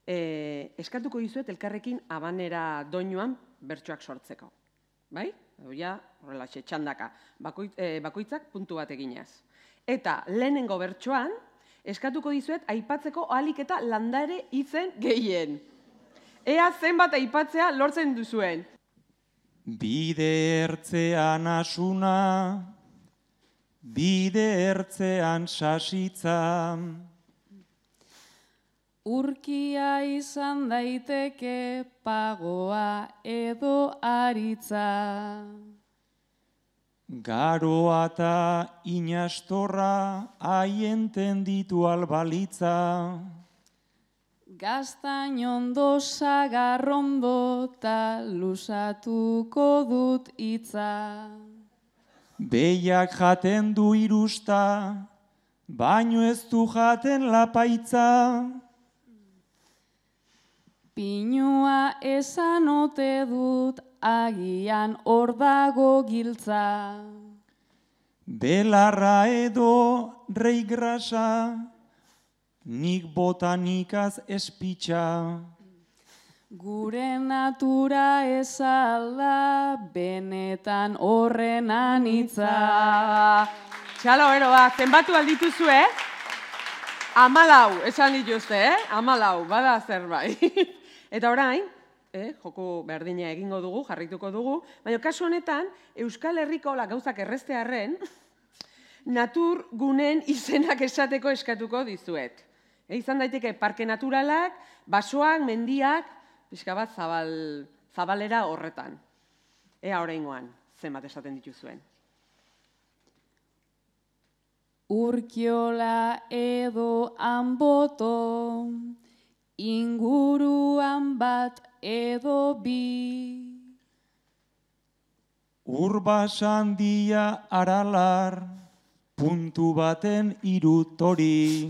eskatuko dizuet elkarrekin Habanera doinuan bertsoak sortzeko. Bai? Ja, horrela, txandaka. Bakoitzak puntu bat eginez. Eta lehenengo bertsoan, eskatuko dizuet aipatzeko ahalik eta landare izen gehien. Ea zenbat aipatzea lortzen duzuen. Bide ertzean asuna, bide ertzean sasitza. Urkia izan daiteke pagoa edo aritza. Garoa eta inastorra haien tenditu albalitza. Gaztainondo sagarrondo ta lusatuko dut hitza. Behiak jaten du irusta, baino ez du jaten lapaitza. Pinua esan ote dut agian hor dago giltza. Belarra edo rei grasa, nik botanikaz espitxa. Gure natura ezalda benetan horren anitza. Txalo, zenbatu aldituzue? 14, esan dituzte, 14, bada zerbait. Eta orain, joko berdina egingo dugu, jarrituko dugu, baina kasu honetan, Euskal Herriko gauzak erreztearren, natur gunen izenak esateko eskatuko dizuet. Izan daiteke parke naturalak, basoak, mendiak, pixka bat zabalera horretan. Ea oraingoan, zenbat esaten dituzuen. Urkiola edo Anboto, inguruan bat edo bi. Urbasandia Aralar, puntu baten irutori.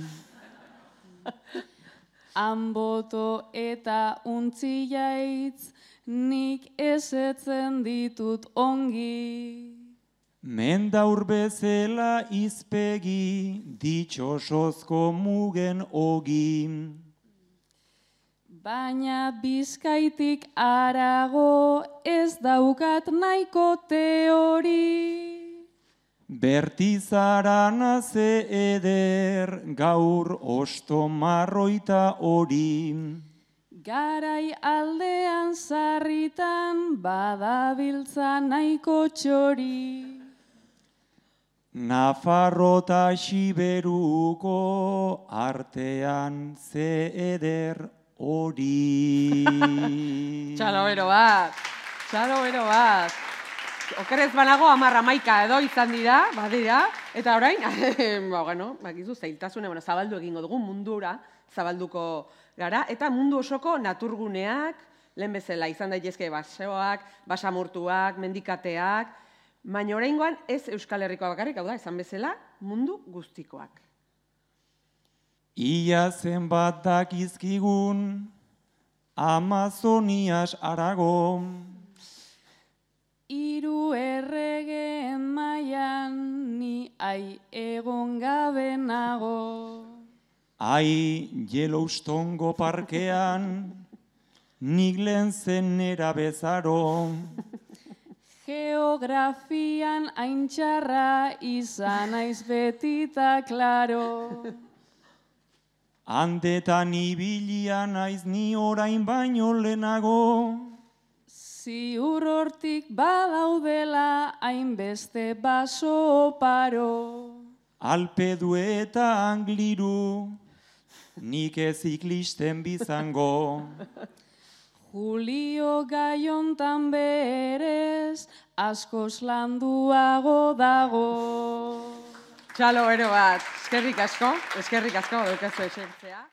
Anboto eta Untziaitz, nik ezetzen ditut ongi. Mendaur bezela izpegi, ditxosozko mugen ogi. Baina Bizkaitik harago ez daukat nahiko teori. Bertizarana ze eder, gaur osto marroita hori. Garai aldean sarritan badabiltza nahiko txori. Nafarro eta Xiberuko artean ze eder hori. Txalo bat. Okerez banago 10-11 edo izan dira, badira, eta orain, bakizu, zailtasune, zabaldu egingo dugu, mundura zabalduko gara, eta mundu osoko naturguneak, lehen bezala izan daitezke basoak, basamortuak, mendikateak, baina oraingoan ez Euskal Herrikoa bakarrik, hau da, esan bezala, mundu guztikoak. Ia zenbat dakizkigun, Amazonias harago. Hiru erregeen mailan ni egon gabe nago. Yellowstoneko parkean, nik lehen zenera bezaro. Geografian aintxarra izan naiz betita klaro. Handetan ibilia naiz ni orain baino lehenago. Ziur hortik badaudela hainbeste baso oparo. Alpedu eta Angliru, nik ez ziklisten bizango. Julio gaiontan berez, askoz landuago dago. Txalo bat, eskerrik asko, daukazu esertzea.